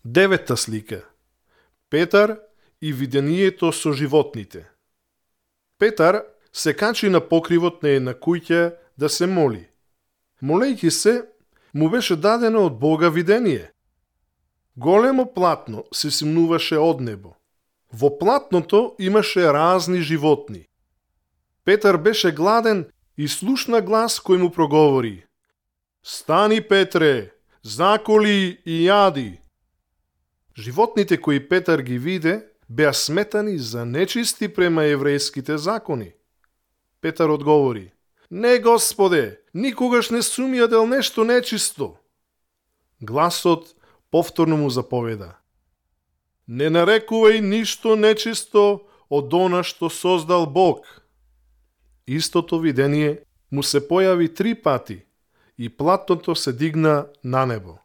Девета слика. Петар и видението со животните. Петар се качи на покривот на една куќа да се моли. Молејќи се, му беше дадено од Бога видение. Големо платно се симнуваше од небо. Во платното имаше разни животни. Петар беше гладен и слушна глас кој му проговори: "Стани, Петре, заколи и јади." Животните кои Петар ги виде беа сметани за нечисти према еврејските закони. Петар одговори: "Не, Господе, никогаш не сум јадел нешто нечисто." Гласот повторно му заповеда: "Не нарекувај ништо нечисто од она што создал Бог." Истото видение му се појави 3 пати и платното се дигна на небо.